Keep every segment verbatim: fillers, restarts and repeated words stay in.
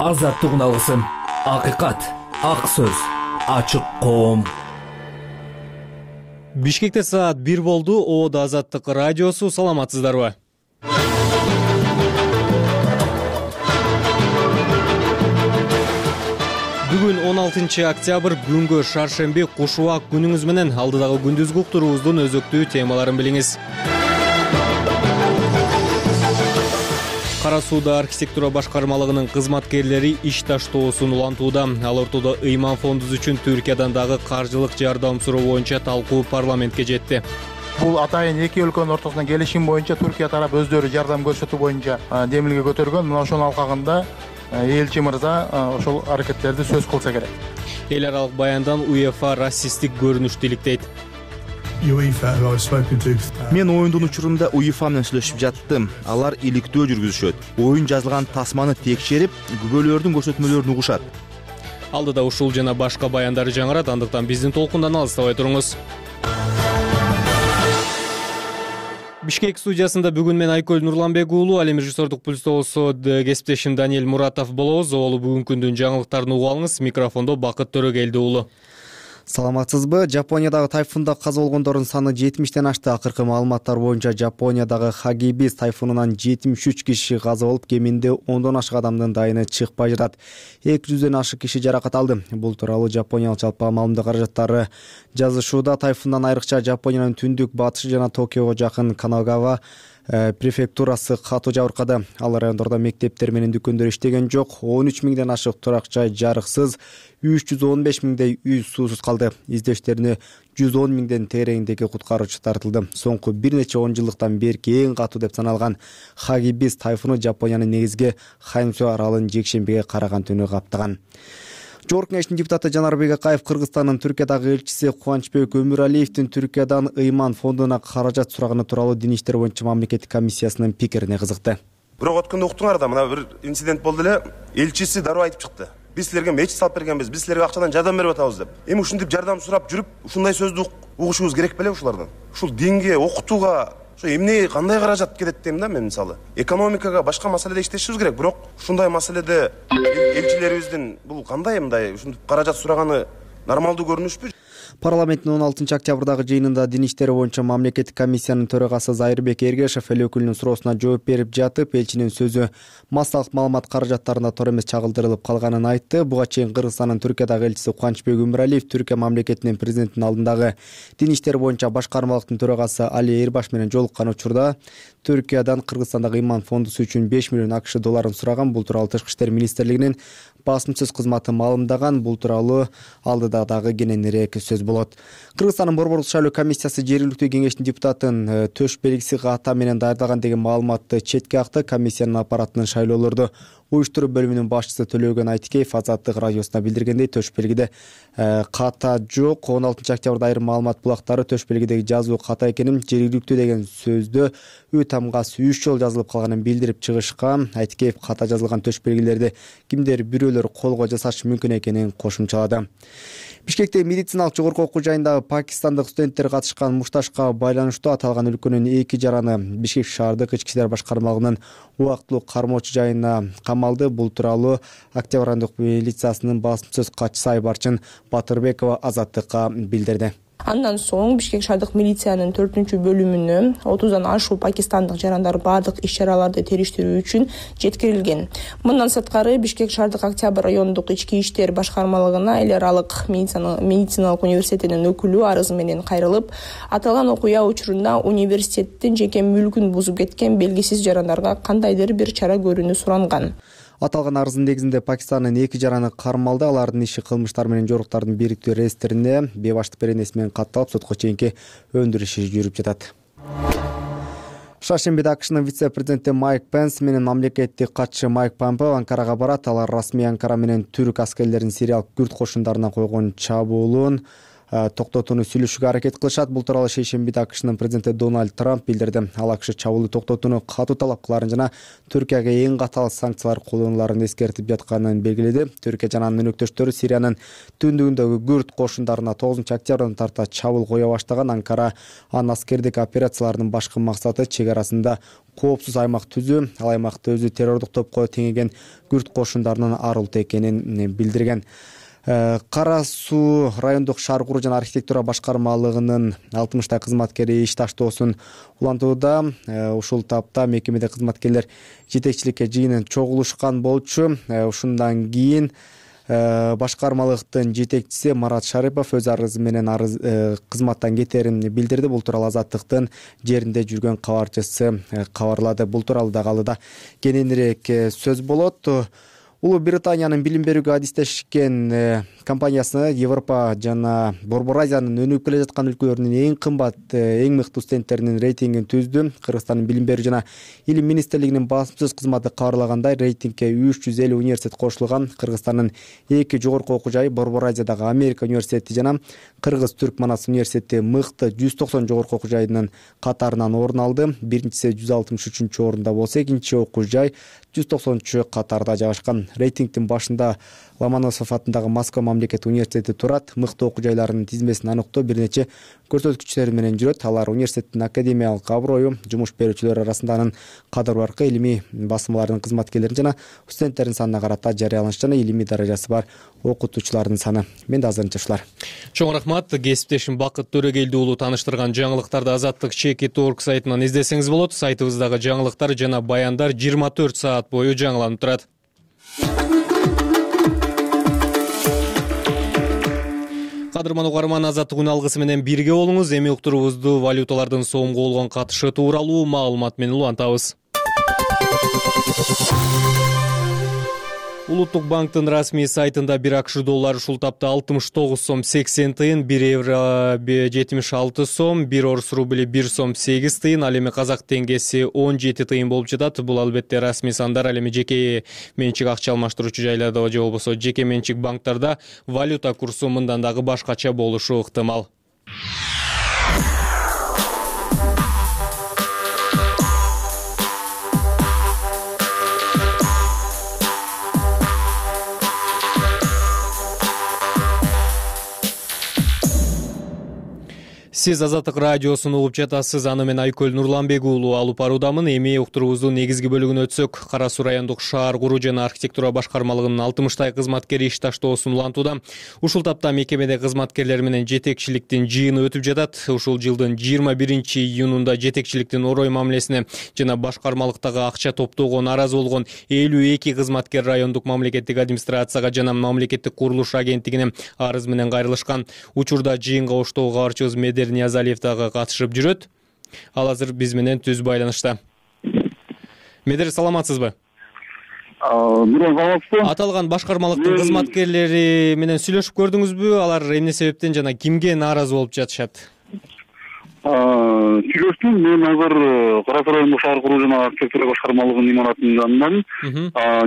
Азаттык алгысым, акыйкат, ак сөз, ачык коом. Бишкекте саат бир болду. Оодо Азаттык радиосу. Саламатсыздарбы? Бүгүн он алтынчы октябрь, күнгө шаршемби. Кушубак күнүңүз менен алдыдагы күндүзгү уктуруубуздун өзөктүү темаларын билиңиз. Кара сууда архитектура башкармалыгынын кызматкерлери иш таштоосун улантууда. Ал ортодо Ыйман фондубуз үчүн Түркиядан дагы каржылык жардам суроо боюнча талкуу парламентке жетти. Бул атайын эки өлкөнүн ортосунда келишим боюнча Түркия тарап өздөрү жардам көрсөтүү боюнча демилге көтөргөн. Мына ошонун алкагында элчи мырза ошол аракеттерди сөз кылса керек. Эл аралык баяндан УЕФА расисттик көрүнүштү иликтейт. Мен оюндун учурунда УЕФА менен сүйлөшүп жаттым. Алар иликтөө жүргүзүшөт. Оюн жазылган тасманы текшерип, күбөлөрдүн көрсөтмөлөрүн угушат. Алдыда ушул жана башка баяндары жаңырат, андыктан биздин толкундан алыстабай туруңуз. Бишкек студиясында бүгүн мен Айкөл Нурланбек уулу, ал эми режиссердук пульсто болсо кесиптешим Даниэль Муратов болобуз. Олу бүгүнкү күндүн жаңылыктарын угуп алыңыз. Микрофондо Бакыт Төрөгелди уулу. Саламатсызбы? Жапониядагы тайфунда каза болгондордун саны жетимиштен ашты. Акыркы маалыматтар боюнча Жапониядагы Хагибис тайфунунан жетимиш үч киши каза болуп, кеминде ондон ашык адамдын дайыны чыкпай жатат. эки жүздөн ашык киши жаракат алды. Бул тууралуу Жапониялык жалпы маалымат каражаттары жазышууда. Тайфундан айрыкча Жапониянын түндүк батышы жана Токиого жакын Канагава префектурасы катуу жабыркады. Ал райондордо мектептер менен дүкөндөр иштеген жок. он үч миңден ашык турак жай жарыксыз, үч жүз он беш миңдей үй суусуз калды. Издештерине жүз он миңден тегерегиндеги куткаруучу тартылды. Соңку бир нече он жылдыктан берки эң катуу деп саналган Хагибис тайфуну Жапониянын негизги Хансю аралын жекшембиге караган түнү каптаган. Жогорку Кеңештин депутаты Жанарбек Акаев Кыргызстандын Түркиядагы элчиси Кубанычбек Өмүралиевдин Түркиядан Ыйман фондуна каражат сураганы тууралуу Дин иштер боюнча мамлекеттик комиссиясынын пикирине кызыкты. Бирок өткөндө уктуңар да, мына бир инцидент болду эле. Элчиси дароо айтып чыкты. Биз силерге мечит салып бергенбиз, биз силерге акчадан жардам берип атабыз деп. Эми ушинтип жардам сурап жүрүп, ушундай сөздү угушубуз керек беле ушулардан? Ушул динге, окутууга ошо эмне кандай каражат кетет дейм да мен. Мисалы, экономикага, башка маселеде иштешибиз керек, бирок ушундай маселеде элчилерибиздин бул кандай мындай ушинтип каражат сураганы нормалдуу көрүнүшпү? Парламенттин он алтынчы октябрдагы жыйынында Дин иштери боюнча мамлекеттик комиссиянын төрагасы Зайырбек Эргешев эл өкүлүнүн суроосуна жооп берип жатып, элчинин сөзү массалык маалымат каражаттарына туура эмес чагылдырылып калганын айтты. Буга чейин Кыргызстандын Түркиядагы элчиси Кубанычбек Өмүралиев Түркия мамлекетинин президентинин алдындагы Дин иштери боюнча башкармалыктын төрагасы Али Эрбаш менен жолуккан учурда Түркиядан Кыргызстандагы Ыйман фондусу үчүн беш миллион АКШ долларын сураган. Бул тууралуу Тышкы иштер министрлигинин басмачысыз кызматы маалымдаган. Бул тууралуу алдыда дагы кененирээк сөз болот. Кыргызстандын Борбордук шайлоо комиссиясы жергиликтүү кеңештин депутатын төш белгиси ката менен даярдалган деген маалыматты четке акты. Комиссиянын аппаратынын шайлоолорду уюштуруу бөлүмүнүн башчысы Төлөгөн Айтикеев Азаттык радиосуна билдиргендей, төш белгиде ката жок. он алтынчы октябрда айрым маалымат булактары төш белгидеги жазуу ката экенин, жергиликтүү деген сөздө ү тамгасы үч жолу жазылып калганын билдирип чыгышкан. Айтикеев ката жазылган төш белгилерди кимдер бирөөлөр колго жасашы мүмкүн экенин кошумчалады. Бишкекте медициналык жогорку окуу жайындагы пакистандык студенттер катышкан мушташка байланыштуу аталган өлкөнүн эки жараны Бишкек шаардык ички иштер башкармалыгынын убактылуу кармоочу жайына камалды. Бул тууралуу Октябрь райондук милициясынын басмачысыз катчысы Айбарчын Батырбекова Азаттыкка билдирди. Андан соң Бишкек шаардык милициянын төртүнчү бөлүмүнө отуздан ашуун пакистандык жарандар бардык иш-чараларды териштирүү үчүн жеткирилген. Мындан сырткары Бишкек шаардык Октябрь райондук ички иштер башкармалыгына эл аралык медициналык университетинин өкүлү арыз менен кайрылып, аталган окуя учурунда университеттин жеке мүлкүн бузуп кеткен белгисиз жарандарга кандайдыр бир чара көрүүнү суранган. Аталган арыздын негизинде Пакистандын эки жараны кармалды. Алардын иши кылмыштар менен жоруктардын бириктүү реестрине бебаштык беренеси менен катталып, сотко чейинки өндүрүү иши жүрүп жатат. Шаршембиде АКШнын вице-президенти Майк Пенс менен мамлекеттик катчы Майк Помпео Анкарага барат. Алар расмий Анкара менен түрк аскерлеринин сириялык күрд кошундарына койгон чабуулун токтотууну сүйлөшүүгө аракет кылышат. Бул тууралуу шейшембиде АКШнын президенти Дональд Трамп билдирди. Ал АКШ чабуулду токтотууну катуу талап кыларын жана Түркияга эң катуу санкциялар колдонуларын эскертип жатканын белгиледи. Түркия жана анын өнөктөштөрү Сириянын түндүгүндөгү күрд кошундарына тогузунчу октябрдан тарта чабуул кое баштаган. Анкара анын аскердик операцияларынын башкы максаты чек арасында коопсуз аймак түзүү. Ал аймакты өзү террордук топко теңеген күрд кошундарынын арылтуу экенин билдирген. Кара Суу райондук шаар куруу жана архитектура башкармалыгынын алтымыштай кызматкери иш таштоосун улантууда. Ушул тапта мекемеде кызматкерлер жетекчиликке жыйынын чогулушкан болчу. Ушундан кийин башкармалыктын жетекчиси Марат Шарипов өз арызы менен арыз кызматтан кетерин билдирди. Бул тууралуу Азаттыктын жеринде жүргөн кабарчысы кабарлады. Бул тууралуу дагы алда кененирээк сөз болот. Улуу Британиянын билим берүүгө адистешкен компаниясы Европа жана Борбор Азиянын өнүгүп келе жаткан өлкөлөрүнүн эң кымбат, эң мыкты студенттеринин рейтингин түздү. Кыргызстандын билим берүү жана илим министрлигинин басымсыз кызматы кабарлагандай, рейтингге үч жүз элүү университет кошулган. Кыргызстандын эки жогорку окуу жайы Борбор Азиядагы Америка университети жана Кыргыз Түрк Манас университети мыкты жүз токсон жогорку окуу жайынын катарынан орун алды. Биринчиси жүз алтымыш үчүнчү орунда болсо, экинчи окуу жай жүз токсонунчу катарда жайгашкан. Рейтингдин башында Ломоносов атындагы Москва мамлекеттик университети турат. Мыкты окуу жайларынын тизмесин аныктоо бир нече көрсөткүчтөр менен жүрөт. Алар университеттин академиялык аброю, жумуш берүүчүлөр арасында анын кадыр баркы, илимий басмаларынын кызматкерлерин жана студенттердин санына карата жарыяланыш жана илимий даражасы бар окутуучулардын саны. Менде азырынча ушулар. Чоң рахмат. Кесиптешим Бакыт Төрөгелди уулу тааныштырган жаңылыктарды Азаттык чеки точка орг сайтынан издесеңиз болот. Сайтыбыздагы жаңылыктар жана баяндар жыйырма төрт саат бою жаңыланып турат. Кадырман угарман, Азаттык күн алгысы менен бирге болуңуз. Эми уктуруубузду валюталардын сомго болгон катышы тууралуу маалымат менен улантабыз. Улуттук банктын расмий сайтында бир АКШ доллары ушул тапта алтымыш тогуз сом сексен тыйын, бир евро жетимиш алты сом, бир орус рубли бир сом сегиз тыйын, ал эми казак теңгеси он жети тыйын болуп жатат. Бул албетте расмий сандар. Ал эми жеке менчик акча алмаштыруучу жайларда же болбосо жеке менчик банктарда валюта курсу мындан дагы башкача болушу ыктымал. Сиз Азаттык радиосун угуп жатасыз. Аны мен Айкөл Нурланбек уулу алып баруудамын. Эми уктуруубуздун негизги бөлүгүнө өтсөк, Кара Суу райондук шаар куруу жана архитектура башкармалыгынын алтымыштай кызматкери иш таштоосун улантууда. Ушул тапта мекемеде кызматкерлер менен жетекчиликтин жыйыны өтүп жатат. Ушул жылдын жыйырма биринчи июнунда жетекчиликтин орой мамилесине жана башкармалыктагы акча топтоого нааразы болгон элүү эки кызматкер райондук мамлекеттик администрацияга жана мамлекеттик курулуш агенттигине арыз менен кайрылышкан. Учурда жыйынга оштогу кабарчыбыз Медер Ниязалиев дагы катышып жүрөт. Ал азыр биз менен түз байланышта. Медер, саламатсызбы? Мурун саламатсызбы? Аталган башкармалыктын кызматкерлери менен сүйлөшүп көрдүңүзбү? Алар эмне себептен жана кимге нааразы болуп жатышат? Сүйлөштүм. Мен азыр Кара Суу райондук шаар куруу жана архитектура башкармалыгынын имаратынын жанынан.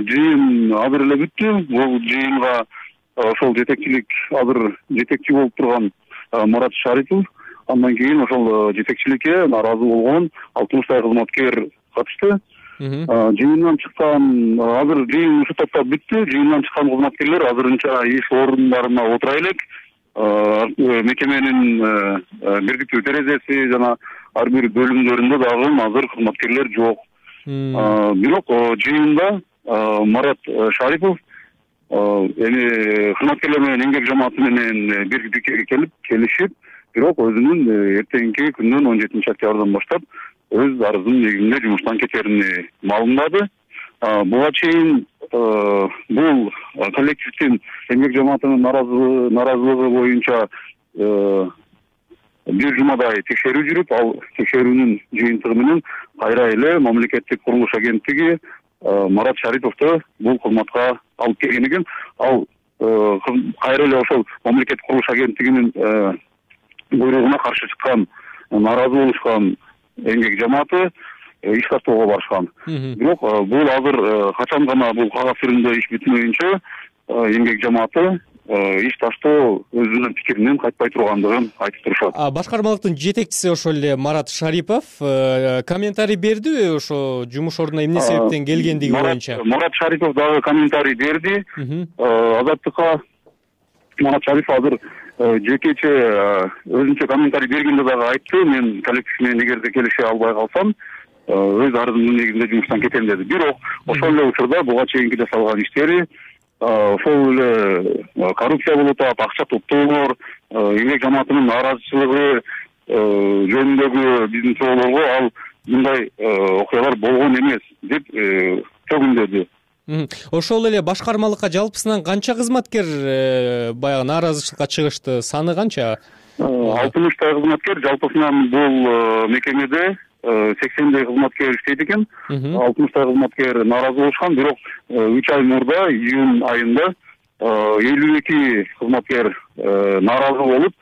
Жыйын азыр эле бүттү. Бул жыйынга ошол жетекчилик азыр жетекчи болуп турган Марат Шарипов, андан кийин ошол жетекчиликке нааразы болгон алтымыштай кызматкер катышты. Жыйындан чыккан, азыр жыйын ушул тапта бүттү. Жыйындан чыккан кызматкерлер азырынча иш орундарына отура элек. Мекеменин бирдиктүү терезеси жана ар бир бөлүмдөрүндө дагы азыр кызматкерлер жок. Бирок жыйында Марат Шарипов эми кызматкерлер менен эмгек жамааты менен бирдикке келип келишип, бирок өзүнүн эртеңки күндөн он жетинчи октябрдан баштап өз арызынын негизинде жумуштан кетерин маалымдады. Буга чейин бул коллективдин эмгек жамаатынын нааразылыгы боюнча бир жумадай текшерүү жүрүп, ал текшерүүнүн жыйынтыгы менен кайра эле мамлекеттик курулуш агенттиги Марат Шариповду бул кызматка алып келген экен. Ал кайра эле ошол мамлекеттик курулуш агенттигинин буйругуна каршы чыккан, нааразы болушкан эмгек жамааты иш тартоого барышкан. Бирок бул азыр качан гана бул кагаз түрүндө иш бүтмөйүнчө эмгек жамааты иш таштоо өзүнүн пикиринен кайтпай тургандыгын айтып турушат. Башкармалыктын жетекчиси ошол эле Марат Шарипов комментарий бердиби ошо жумуш ордуна эмне себептен келгендиги боюнча? Марат Шарипов дагы комментарий берди. Азаттыкка Марат Шарипов азыр жекече өзүнчө комментарий бергенде дагы айтты, мен коллектив менен эгерде келише албай калсам өз арызымдын негизинде жумуштан кетем деди. Бирок ошол эле учурда буга чейинки жасалган иштери ошол эле коррупция болуп атат, акча топтоолор, эмгек жамаатынын нааразычылыгы жөнүндөгү биздин суроолорго ал мындай окуялар болгон эмес деп төгүндөдү. Ошол эле башкармалыкка жалпысынан канча кызматкер баягы нааразычылыкка чыгышты? Саны канча? алтымыштай кызматкер жалпысынан бул мекемеде сексендей кызматкер иштейт экен. алтымыштай кызматкер нааразы болушкан, бирок үч ай мурда июнь айында элүү эки кызматкер нааразы болуп,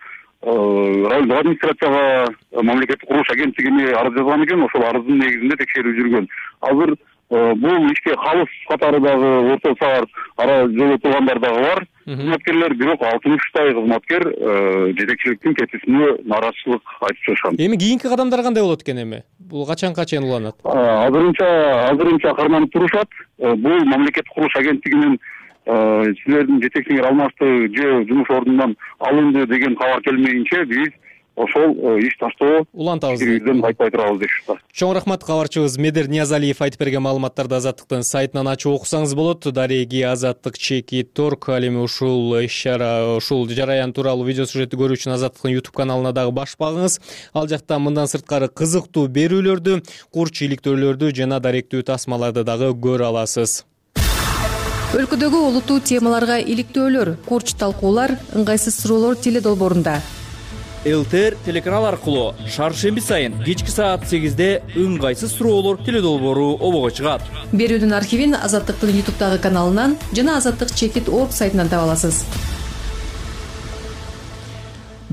райондук администрацияга мамлекеттик курулуш агенттигине арыз жазган экен. Ошол арыздын негизинде текшерүү жүргөн. Азыр бул ишке калыс катары дагы орто саар ара жоло тургандар дагы бар кызматкерлер, бирок алтымыштай кызматкер жетекчиликтин кетүүсүнө нааразычылык айтып чыгышкан. Эми кийинки кадамдар кандай болот экен эми? Бул качанга чейин уланат? Азырынча азырынча карманып турушат. Бул мамлекеттик курулуш агенттигинин силердин жетекчиңер алмашты же жумуш ордунан алынды деген кабар келмейинче биз ошол иш таштоо улантабыз. Бизден кайтпай турабыз дешти. Чоң рахмат. Кабарчыбыз Медер Ниязалиев айтып берген маалыматтарды Азаттыктын сайтынан ачып окусаңыз болот. Дареги Азаттык чеки торг. Ал эми ушул иш-чара, ушул жараян тууралуу видео сюжетти көрүү үчүн Азаттыктын YouTube каналына дагы баш багыңыз. Ал жакта мындан сырткары кызыктуу берүүлөрдү, курч иликтөөлөрдү жана даректүү тасмаларды дагы көрө аласыз. Өлкөдөгү олуттуу темаларга иликтөөлөр, курч талкуулар, ыңгайсыз суроолор теле долбоорунда. ЛТР телеканал аркылуу шаршемби сайын кечки саат сегизде ыңгайсыз суроолор теле долбоору обого чыгат. Берүүдүн архивин Азаттыктын YouTube'дагы каналынан жана Азаттык чекит точка орг сайтынан таба аласыз.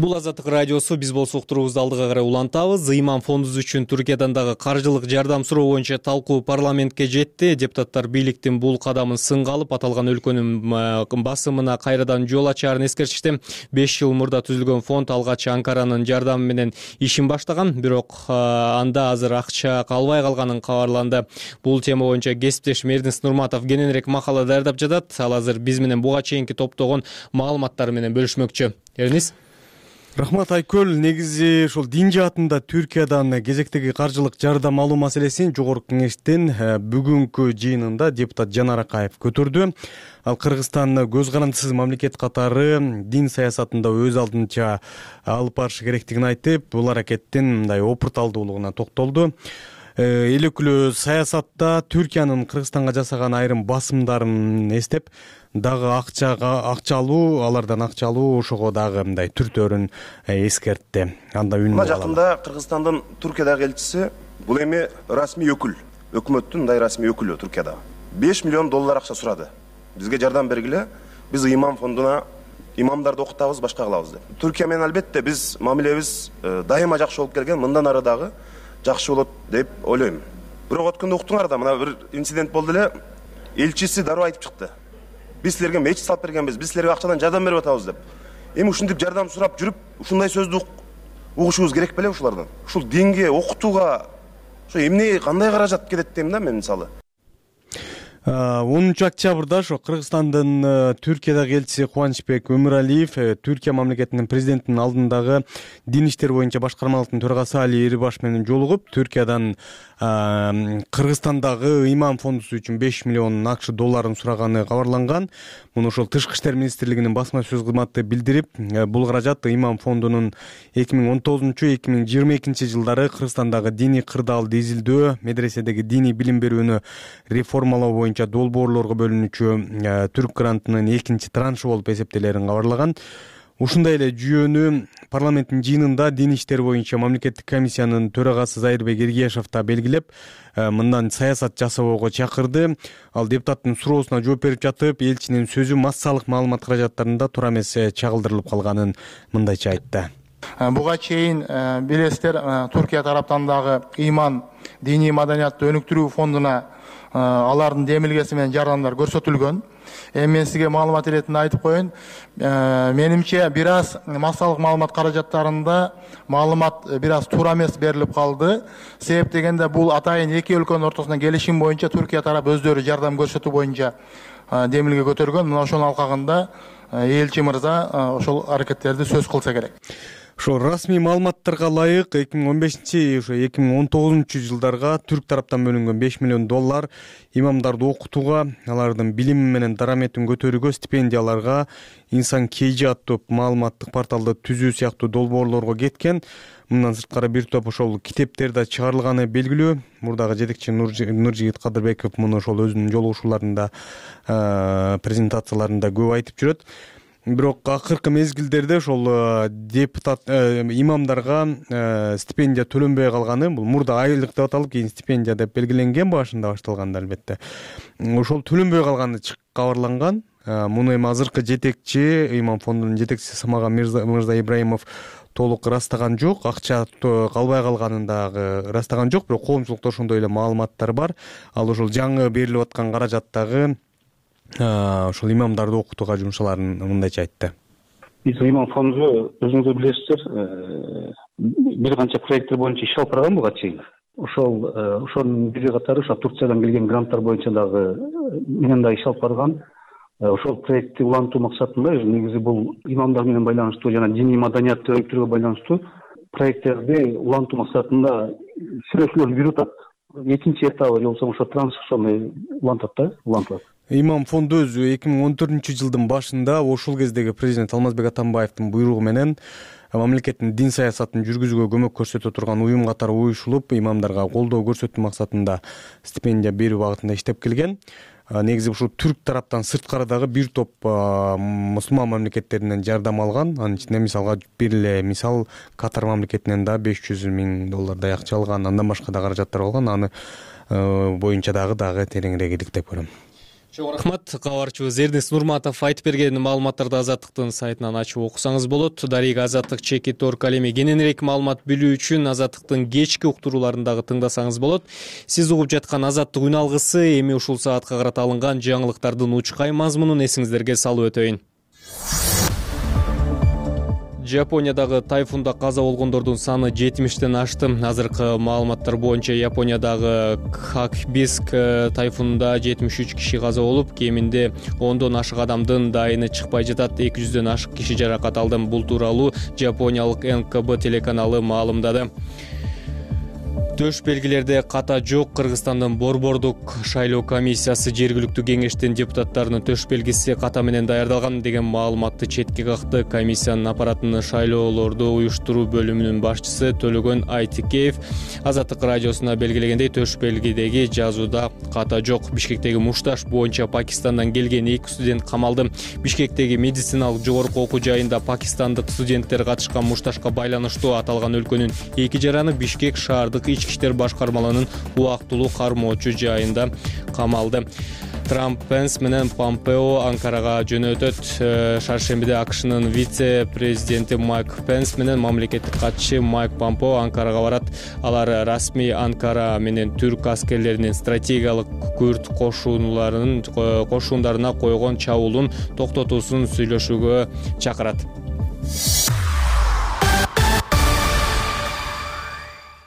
Бул Азаттык радиосу, биз болсок турубузду алдыга карай улантабыз. Ыйман фондубуз үчүн Түркиядан дагы каржылык жардам суроо боюнча талкуу парламентке жетти. Депутаттар бийликтин бул кадамын сынга алып, аталган өлкөнүн басымына кайрадан жол ачаарын эскертишти. беш жыл мурда түзүлгөн фонд алгач Анкаранын жардамы менен ишин баштаган, бирок анда азыр акча калбай калганын кабарланды. Бул тема боюнча кесиптешим Эрдинс Нурматов кененирээк макала даярдап жатат. Ал азыр биз менен буга чейинки топтогон маалыматтары менен бөлүшмөкчү. Эрдинс. Рахмат Айкөл. Негизи ушул дин жаатында Түркиядан кезектеги каржылык жардам алуу маселесин жогорку кеңештин бүгүнкү жыйынында депутат Жанар Акаев көтөрдү. Ал Кыргызстан көз карандысыз мамлекет катары дин саясатында өз алдынча алып барышы керектигин айтып, бул аракеттин мындай опурталдуулугуна токтолду. Эл өкүлү саясатта Түркиянын Кыргызстанга жасаган айрым басымдарын эстеп, дагы акчага акча алуу, алардан акча алуу ошого дагы мындай түртөөрүн эскертти. Анда үнү мына жакында Кыргызстандын Түркиядагы элчиси бул эми расмий өкүл, өкмөттүн мындай расмий өкүлү Түркияда беш миллион доллар акча сурады. Бизге жардам бергиле, биз Ыйман фондуна имамдарды окутабыз, башка кылабыз деп. Түркия менен албетте биз мамилебиз дайыма жакшы болуп келген, мындан ары дагы жакшы болот деп ойлойм. Бирок өткөндө уктуңар да, мына бир инцидент болду эле. Элчиси дароо айтып чыкты. Биз силерге мечит салып бергенбиз, биз силерге акчадан жардам берип атабыз деп. Эми ушинтип жардам сурап жүрүп, ушундай сөздү угушубуз керек беле ушулардан? Ушул динге, окутууга ошо эмне кандай каражат кетет дейм да мен мисалы. онунчу октябрда ошо Кыргызстандын Түркиядагы элчиси Кубанычбек Өмүралиев Түркия мамлекетинин президентинин алдындагы дин иштери боюнча башкармалыктын төрагасы Али Эрибаш менен жолугуп, Түркиядан Кыргызстандагы Ыйман фондусу үчүн беш миллион акч долларын сураганы кабарланган. Муну ошол Тышкы иштер министрлигинин басма сөз кызматы билдирип, бул каражат Ыйман фондунун эки миң он тогузунчу — эки миң жыйырма экинчи жылдары Кыргызстандагы диний кырдаалды изилдөө, медреседеги диний билим берүүнү реформалоо боюнча долбоорлорго бөлүнүүчү Түрк грантынын экинчи траншы болуп эсептелерин кабарлаган. Ушундай эле жүйөнү парламенттин жыйынында дин иштери боюнча мамлекеттик комиссиянын төрагасы Зайырбек Эргешев да белгилеп, мындан саясат жасоого чакырды. Ал депутаттын суроосуна жооп берип жатып, элчинин сөзү массалык маалымат каражаттарында туура эмес чагылдырылып калганын мындайча айтты. Буга чейин билесиздер, Түркия тараптан дагы Ыйман диний маданиятты өнүктүрүү фондуна алардын демилгеси менен жардамдар көрсөтүлгөн. Эми мен сизге маалымат иретинде айтып коеюн. Менимче бир аз массалык маалымат каражаттарында маалымат бир аз туура эмес берилип калды. Себеп дегенде бул атайын эки өлкөнүн ортосунда келишим боюнча Түркия тарап өздөрү жардам көрсөтүү боюнча демилге көтөргөн. Мына ошонун алкагында элчи мырза ошол аракеттерди сөз кылса керек. Ошо расмий маалыматтарга ылайык эки миң он бешинчи ошо эки миң он тогузунчу жылдарга түрк тараптан бөлүнгөн беш миллион доллар имамдарды окутууга, алардын билими менен дараметин көтөрүүгө, стипендияларга, инсан кейжи аттуу маалыматтык порталды түзүү сыяктуу долбоорлорго кеткен. Мындан сырткары бир топ ошол китептер да чыгарылганы белгилүү. Мурдагы жетекчи Нуржигит Кадырбеков муну ошол өзүнүн жолугушууларында, презентацияларында көп айтып жүрөт. Бирок акыркы мезгилдерде ошол депутат имамдарга стипендия төлөнбөй калганы, бул мурда айлык деп аталып, кийин стипендия деп белгиленген, башында башталганда албетте. Ошол төлөнбөй калганы кабарланган. Муну эми азыркы жетекчи, имам фондунун жетекчиси Самаган Мырза Ибраимов толук ырастаган жок, акча калбай калганын дагы ырастаган жок, бирок коомчулукта ошондой эле маалыматтар бар. Ал ошол жаңы берилип аткан каражаттагы ошол имамдарды окутууга жумшаларын мындайча айтты. Биз имам фонду өзүңүздөр билесиздер, бир канча проекттер боюнча иш алып барган буга чейин. Ошол ошонун бири катары ошо Турциядан келген гранттар боюнча дагы менен да иш алып барган. Ошол проектти улантуу максатында негизи бул имамдар менен байланыштуу жана диний маданиятты өнүктүрүүгө байланыштуу проекттерди улантуу максатында сүйлөшүүлөрдү жүрүп атат. Экинчи этабы же болбосо ошо транскрипцияны улантат да, улантат. Имам фонду өзү эки миң он төртүнчү жылдын башында ошол кездеги президент Алмазбек Атамбаевдин буйругу менен мамлекеттин дин саясатын жүргүзүүгө көмөк көрсөтө турган уюм катары уюшулуп, имамдарга колдоо көрсөтүү максатында стипендия берүү багытында иштеп келген. Негизи ушул түрк тараптан сырткары дагы бир топ мусулман мамлекеттеринен жардам алган. Анын ичинде мисалга бир эле мисал Катар мамлекетинен да беш жүз миң доллардай акча алган, андан башка да каражаттар алган. Аны боюнча дагы дагы тереңирээк иликтеп көрөм. Чоң рахмат. Кабарчыбыз Эрдинс Нурматов айтып берген маалыматтарды Азаттыктын сайтынан ачып окусаңыз болот. Дарыга Азаттык чекит точка орг ал эми кененирээк маалымат билүү үчүн Азаттыктын кечки уктурууларындагы тыңдасаңыз болот. Сиз угуп жаткан Азаттык үн алгысы эми ушул саатка карата алынган жаңылыктардын учкай мазмунун эсиңиздерге салып өтөйүн. Япониядагы тайфунда каза болгондордун саны жетимиштен ашты. Азыркы маалыматтар боюнча Япониядагы Хакбиск тайфунунда жетимиш үч киши каза болуп, кеминде ондон ашык адамдын дайыны чыкпай жатат. эки жүздөн ашык киши жаракат алды. Бул тууралуу Жапониялык эн ка бэ телеканалы маалымдады. Төш белгилерде ката жок. Кыргызстандын Борбордук шайлоо комиссиясы жергиликтүү кеңештин депутаттарынын төш белгиси ката менен даярдалган деген маалыматты четке какты. Комиссиянын аппаратынын шайлоолорду уюштуруу бөлүмүнүн башчысы Төлөгөн Айтикеев Азаттык радиосуна белгилегендей, төш белгидеги жазууда ката жок. Бишкектеги мушташ боюнча Пакистандан келген эки студент камалды. Бишкектеги медициналык жогорку окуу жайында пакистандык студенттер катышкан мушташка байланыштуу аталган өлкөнүн эки жараны Бишкек шаардык ички иштер башкармаларынын убактылуу кармоочу жайында камалды. Трамп Пенс менен Помпео Анкарага жөнөтөт. Шаршембиде АКШнын вице-президенти Майк Пенс менен мамлекеттик катчы Майк Помпео Анкарага барат. Алар расмий Анкара менен түрк аскерлеринин стратегиялык күрт кошунуларынын кошундарына койгон чабуулун токтотуусун сүйлөшүүгө чакырат.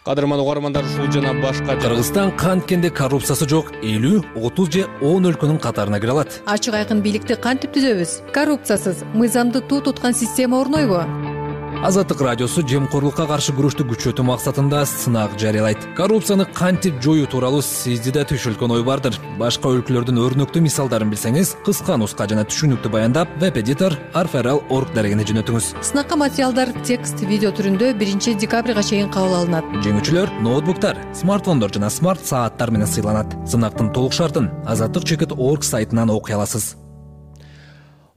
Кадырман угармандар, ушул жана башка Кыргызстан канткенде коррупциясы жок элүү, отуз же он өлкөнүн катарына кире алат. Ачык айкын бийликти кантип түзөбүз? Коррупциясыз мыйзамды туу туткан система орнойбу? Азаттык радиосу жемкорлукка каршы күрөштү күчөтүү максатында сынак жарыялайт. Коррупцияны кантип жоюу тууралуу сизди да түшүлгөн ой бардыр. Башка өлкөлөрдүн өрнөктүү мисалдарын билсеңиз, кыска нуска жана түшүнүктүү баяндап веб-эдитор арфрл точка орг дарегине жөнөтүңүз. Сынакка материалдар текст, видео түрүндө биринчи декабрга чейин кабыл алынат. Жеңүүчүлөр ноутбуктар, смартфондор жана смарт сааттар менен сыйланат. Сынактын толук шартын азаттык чекит точка орг сайтынан окуй аласыз.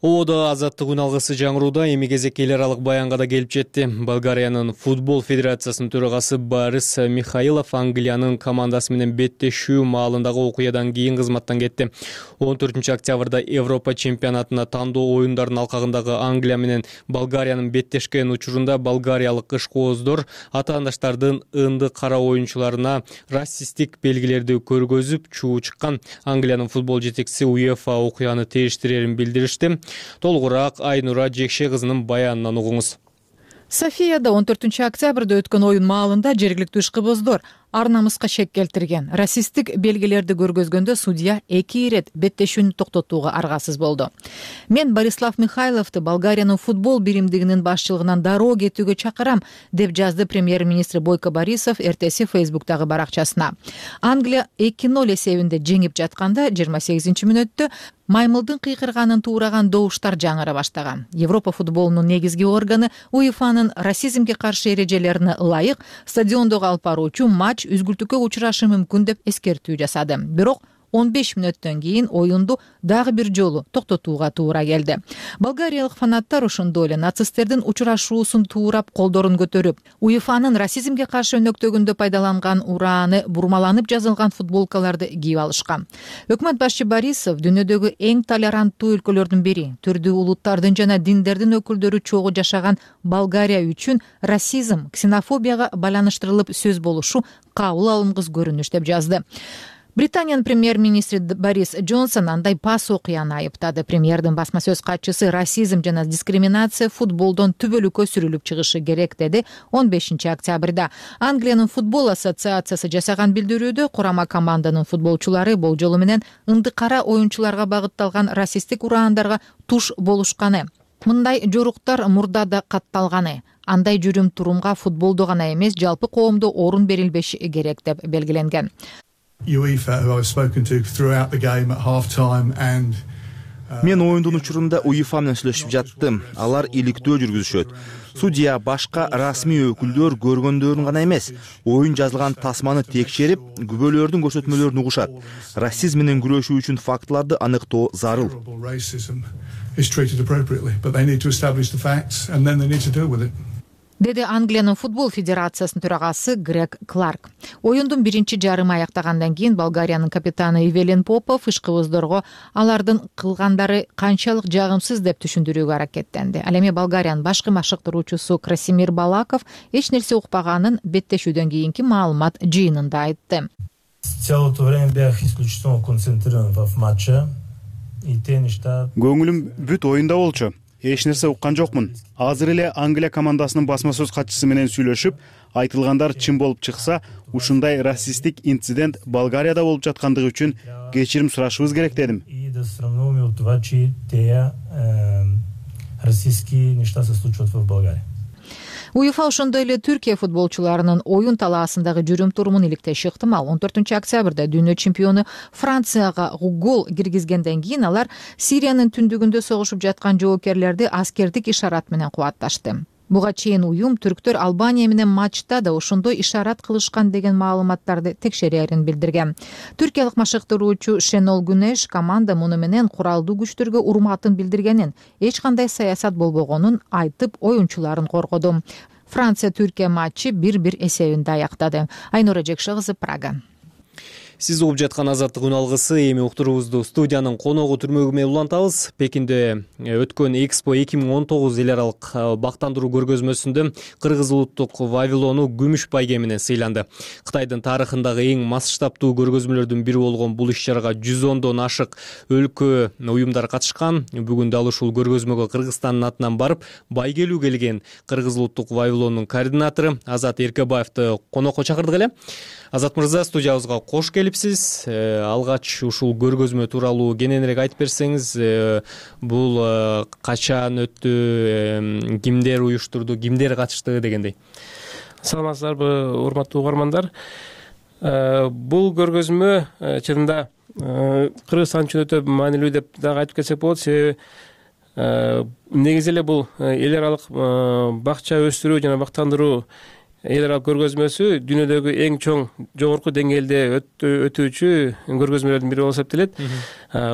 Ободо азаттык үн алгысы жаңырууда эми кезек эл аралык баянга да келип жетти. Болгариянын футбол федерациясынын төрагасы Борис Михайлов Англиянын командасы менен беттешүү маалындагы окуядан кийин кызматтан кетти. он төртүнчү октябрда Европа чемпионатына тандоо оюндарынын алкагындагы Англия менен Болгариянын беттешкен учурунда болгариялык ишкооздор атаандаштардын ынды кара оюнчуларына расисттик белгилерди көргөзүп чуу чыккан. Англиянын футбол жетекчиси УЕФА окуяны териштирерин билдиришти. Толугураак Айнура Жекше кызынын баянынан угуңуз. Софияда он төртүнчү октябрда өткөн оюн маалында жергиликтүү ишкыбоздор ар намыска шек келтирген. Расисттик белгилерди көргөзгөндө судья эки ирет беттешүүнү токтотууга аргасыз болду. Мен Борислав Михайловду Болгариянын футбол биримдигинин башчылыгынан дароо кетүүгө чакырам, деп жазды премьер-министр Бойко Борисов эртеси Фейсбуктагы баракчасына. Англия эки ноль эсебинде жеңип жатканда жыйырма сегизинчи мүнөттө маймылдын кыйкырганын туураган добуштар жаңыра баштаган. Европа футболунун негизги органы УЕФАнын расизмге каршы эрежелерине ылайык стадиондогу алып баруучу матч үзгүлтүккө учурашы мүмкүн деп эскертүү жасады. Бирок он беш мүнөттөн кийин оюнду дагы бир жолу токтотууга туура келди. Болгариялык фанаттар ошондой эле нацисттердин учурашуусун туурап колдорун көтөрүп, УЕФАнын расизмге каршы өнөктөгүндө пайдаланган урааны бурмаланып жазылган футболкаларды кийип алышкан. Өкмөт башчы Борисов дүйнөдөгү эң толеранттуу өлкөлөрдүн бири, түрдүү улуттардын жана диндердин өкүлдөрү чогуу жашаган Болгария үчүн расизм, ксенофобияга байланыштырылып сөз болушу кабыл алынгыс көрүнүш деп жазды. Британиянын премьер-министри Борис Джонсон андай пас окуяны айыптады. Премьердин басма сөз катчысы расизм жана дискриминация футболдон түбөлүккө сүрүлүп чыгышы керек, деди он бешинчи октябрда. Англиянын футбол ассоциациясы жасаган билдирүүдө курама команданын футболчулары болжолу менен ынды кара оюнчуларга багытталган расисттик ураандарга туш болушканы. Мындай жоруктар мурда да катталганы. Андай жүрүм-турумга футболдо гана эмес, жалпы коомдо орун берилбеши керек деп белгиленген. Мен оюндун учурунда УЕФА менен сүйлөшүп жаттым. Алар иликтөө жүргүзүшөт. Судья башка расмий өкүлдөр көргөндөрүн гана эмес, оюн жазылган тасманы текшерип, күбөлөрдүн көрсөтмөлөрүн угушат. Расизм менен күрөшүү үчүн фактыларды аныктоо зарыл. Деди Англиянын футбол федерациясынын төрагасы Грег Кларк. Оюндун биринчи жарымы аяктагандан кийин Болгариянын капитаны Ивелин Попов ишкыбоздорго алардын кылгандары канчалык жагымсыз деп түшүндүрүүгө аракеттенди. Ал эми Болгариянын башкы машыктыруучусу Красимир Балаков эч нерсе укпаганын беттешүүдөн кийинки маалымат жыйынында айтты. Көңүлүм бүт оюнда болчу. Эч нерсе уккан жокмун. Азыр эле Англия командасынын басма сөз катчысы менен сүйлөшүп, айтылгандар чын болуп чыкса, ушундай расисттик инцидент Болгарияда болуп жаткандыгы үчүн кечирим сурашыбыз керек дедим. УЕФА ошондой эле Түркия футболчуларынын оюн талаасындагы жүрүм-турумун иликтеши ыктымал. он төртүнчү октябрда дүйнө чемпиону Францияга гол киргизгенден кийин алар Сириянын түндүгүндө согушуп жаткан жоокерлерди аскердик ишарат менен кубатташты. Буга чейин уюм түрктөр Албания менен матчта да ошондой ишарат кылышкан деген маалыматтарды текшерерин билдирген. Түркиялык машыктыруучу Шенол Гүнеш команда муну менен куралдуу күчтөргө урматын билдиргенин, эч кандай саясат болбогонун айтып, оюнчуларын коргоду. Франция-Түркия матчы бир бир эсебинде аяктады. Айнура Жекше кызы, Прага. Сиз угуп жаткан азаттык үн алгысы. Эми уктуруубузду студиянын коногу түрмөгү менен улантабыз. Пекинде өткөн Экспо эки миң он тогуз эл аралык бактандыруу көргөзмөсүндө Кыргыз улуттук Вавилону күмүш байге менен сыйланды. Кытайдын тарыхындагы эң масштабтуу көргөзмөлөрдүн бири болгон бул иш-чарага жүз ондон ашык өлкө уюмдар катышкан. Бүгүн дал ушул көргөзмөгө Кыргызстандын атынан барып, байгелүү келген Кыргыз улуттук Вавилонунун координатору Азат Эркебаевди конокко чакырдык эле. Азат мырза, студиябызга кош келипсиз. Алгач ушул көргөзмө тууралуу кененирээк айтып берсеңиз, бул качан өттү, кимдер уюштурду, кимдер катышты дегендей. Саламатсыздарбы, урматтуу угармандар. Бул көргөзмө чынында Кыргызстан үчүн өтө маанилүү деп дагы айтып кетсек болот. Себеби негизи эле бул эл аралык бакча өстүрүү жана бактандыруу эл аралык көргөзмөсү дүйнөдөгү эң чоң жогорку деңгээлде өтүүчү көргөзмөлөрдүн бири болуп эсептелет.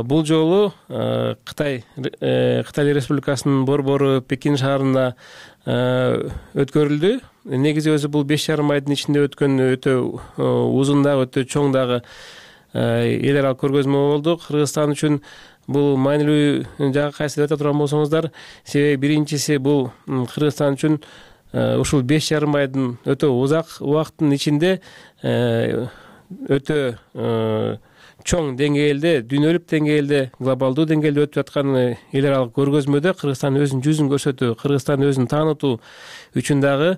Бул жолу Кытай Кытай Республикасынын борбору Пекин шаарында өткөрүлдү. Негизи өзү бул беш жарым айдын ичинде өткөн өтө узун дагы өтө чоң дагы эл аралык көргөзмө болду. Кыргызстан үчүн бул маанилүү жагы кайсы деп айта турган болсоңуздар, себеби биринчиси бул Кыргызстан үчүн ушул беш жарым айдын өтө узак убакыттын ичинде өтө чоң деңгээлде, дүйнөлүк деңгээлде, глобалдуу деңгээлде өтүп аткан эл аралык көргөзмөдө Кыргызстан өзүнүн жүзүн көрсөтүү, Кыргызстан өзүн таанытуу үчүн дагы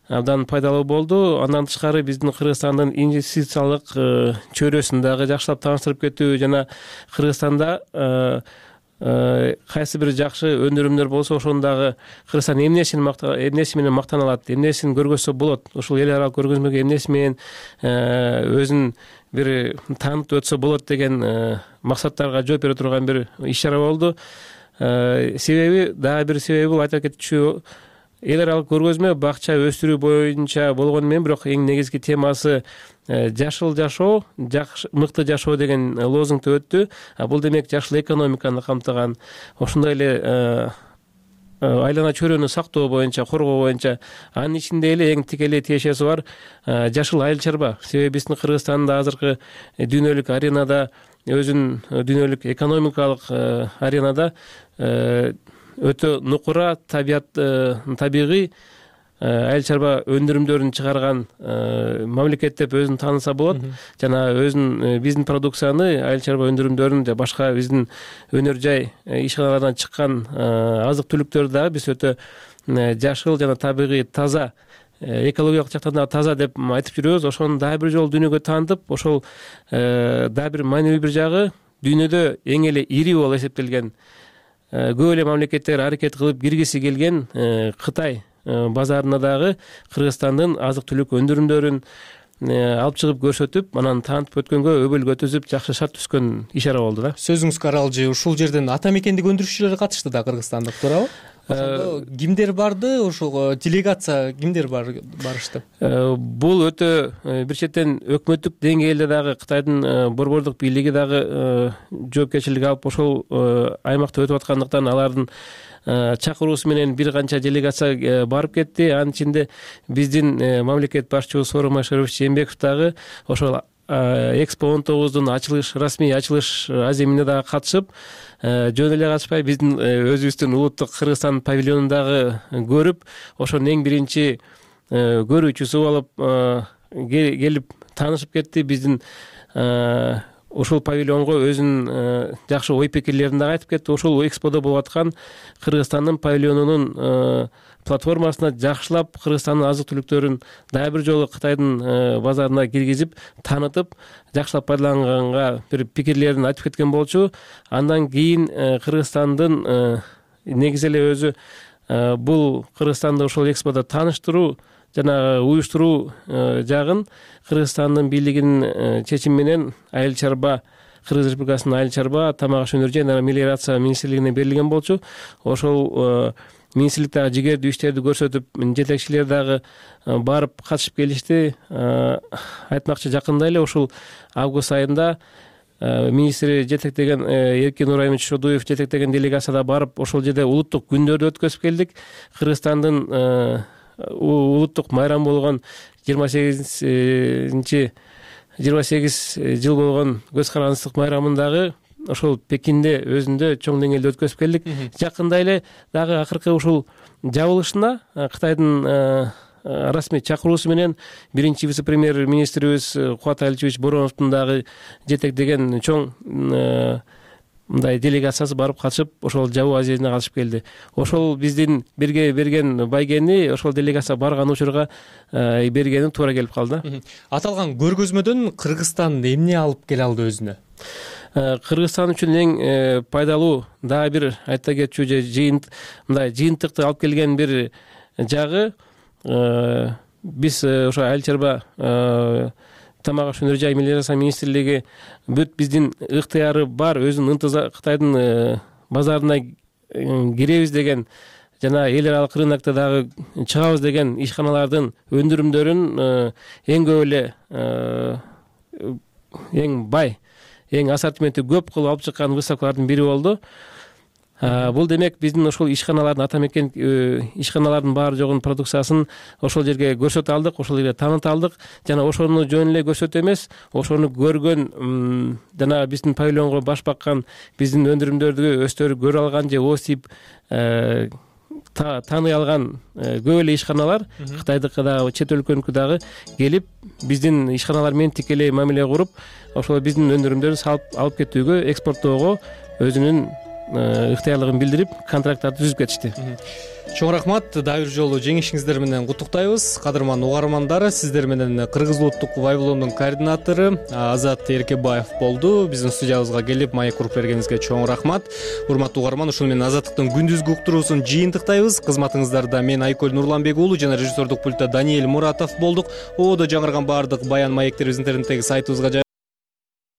абдан пайдалуу болду. Андан тышкары биздин Кыргызстандын инвестициялык чөйрөсүн дагы жакшылап тааныштырып кетүү жана Кыргызстанда кайсы бир жакшы өндүрүмдөр болсо ошону дагы Кыргызстан эмнеси менен мактана алат, эмнесин көргөзсө болот, ушул эл аралык көргөзмөгө эмнеси менен өзүн бир таанытып өтсө болот деген максаттарга жооп бере турган бир иш чара болду. Себеби дагы бир себеби бул айта кетчү, эл аралык көргөзмө бакча өстүрүү боюнча болгону менен бирок эң негизги темасы жашыл жашоо, мыкты жашоо деген лозунгду өттү. Бул демек жашыл экономиканы камтыган, ошондой эле айлана чөйрөнү сактоо боюнча, коргоо боюнча, анын ичинде эле эң тикелей тиешеси бар жашыл айыл чарба. Себеби биздин Кыргызстанда азыркы дүйнөлүк аренада, өзүнүн дүйнөлүк экономикалык аренада өтө нукура табият табигый айыл чарба өндүрүмдөрүн чыгарган мамлекет деп өзүн тааныса болот. Жана өзүнүн биздин продукцияны, айыл чарба өндүрүмдөрүн же башка биздин өнөр жай ишканалардан чыккан азык түлүктөрдү дагы биз өтө жашыл жана табигый таза, экологиялык жактан да таза деп айтып жүрөбүз. Ошону дагы бир жолу дүйнөгө таанытып, ошол дагы бир маанилүү бир жагы, дүйнөдө эң эле ири болуп эсептелген, көп эле мамлекеттер аракет кылып киргиси келген Кытай базарына дагы Кыргызстандын азык түлүк өндүрүмдөрүн алып чыгып көрсөтүп, анан таанытып өткөнгө өбөлгө өткөзүп жакшы шарт түзгөн ишара болду да. Сөзүңүзгө аралжы, ушул жерден ата мекендик өндүрүшчүлөр катышты да, кыргызстандык, туурабы? Ошондо кимдер барды, ошол делегация кимдер барышты? Бул өтө бир четтен өкмөттүк деңгээлде дагы Кытайдын борбордук бийлиги дагы жоопкерчилик алып ошол аймакта өтүп аткандыктан алардын чакыруусу менен бир канча делегация барып кетти. Анын ичинде биздин мамлекет башчыбыз Сооронбай Шарипович Жээнбеков дагы ошол Экспо он тогуздун ачылыш, расмий ачылыш аземине дагы катышып, жөн эле катышпай биздин өзүбүздүн улуттук Кыргызстан павильонун дагы көрүп, ошонун эң биринчи көрүүчүсү болуп келип таанышып кетти. Биздин ушул павильонго өзүнүн жакшы ой пикирлерин дагы айтып кетти. Ушул эксподо болуп аткан Кыргызстандын павильонунун платформасына жакшылап Кыргызстандын азык түлүктөрүн дагы бир жолу Кытайдын базарына киргизип, таанытып, жакшылап пайдаланганга бир пикирлерин айтып кеткен болчу. Андан кийин Кыргызстандын негизи эле өзү бул Кыргызстанды ошол эксподо тааныштыруу жана уюштуруу жагын Кыргызстандын бийлигинин чечими менен айыл чарба, Кыргыз Республикасынын айыл чарба, тамак аш өнөр жана мелиорация министрлигине берилген болчу. Ошол министрлик дагы жигердүү иштерди көрсөтүп, жетекчилер дагы барып катышып келишти. Айтмакчы, жакында эле ушул август айында министри жетектеген Эркин Нурайымович Шодуев жетектеген делегацияда барып, ошол жерде улуттук күндөрдү өткөзүп келдик. Кыргызстандын улуттук майрамы болгон жыйырма сегизинчи жыйырма сегиз жыл болгон көз карандысыздык майрамын дагы ошол Пекинде өзүндө чоң деңгээлде өткөзүп келдик. Жакында эле дагы акыркы ушул жабылышына Кытайдын расмий чакыруусу менен биринчи вице-премьер министрибиз Кубат Аличевич Бороновдун дагы жетектеген чоң мындай делегациясы барып катышып, ошол жабуу азирине катышып келди. Ошол биздин бирге берген байгени ошол делегация барган учурга бергени туура келип калды. Аталган көргөзмөдөн Кыргызстан эмне алып келе алды өзүнө? Кыргызстан үчүн эң пайдалуу дагы бир айта кетчү же жыйын мындай жыйынтыкты алып келген бир жагы, биз ошо айыл чарба, тамак аш өнөр жай мелиорация министрлиги бүт биздин ыктыяры бар, өзүнүн ынтызар Кытайдын базарына киребиз деген жана эл аралык рынокто дагы чыгабыз деген ишканалардын өндүрүмдөрүн эң көп эле эң бай, эң ассортименти көп кылып алып чыккан выставкалардын бири болду. Бул демек биздин ошол ишканалардын ата мекен ишканалардын баары жогунун продукциясын ошол жерге көрсөтө алдык, ошол жерге тааныта алдык жана ошону жөн эле көрсөтүү эмес, ошону көргөн жана биздин павильонго баш баккан, биздин өндүрүмдөрдү өздөрү көрө алган же ооз тийип тааный алган көп эле ишканалар Кытайдыкы дагы чет өлкөнүкү дагы келип биздин ишканалар менен тикелей мамиле куруп, ошол биздин өндүрүмдөрдү салып алып кетүүгө, экспорттоого өзүнүн ыктыярлыгын билдирип, контракттарды түзүп кетишти. Чоң рахмат, дагы бир жолу жеңишиңиздер менен куттуктайбыз. Кадырман угармандар, сиздер менен Кыргыз улуттук павильондун координатору Азат Эркебаев болду. Биздин студиябызга келип маек куруп бергениңизге чоң рахмат. Урматтуу угарман, ушуну менен Азаттыктын күндүзгү уктуруусун жыйынтыктайбыз. Кызматыңыздарда мен Айкөл Нурланбек уулу жана режиссердук пультта Даниэль Муратов болдук. Ободо жаңырган баардык баян маектерибиз интернеттеги сайтыбызга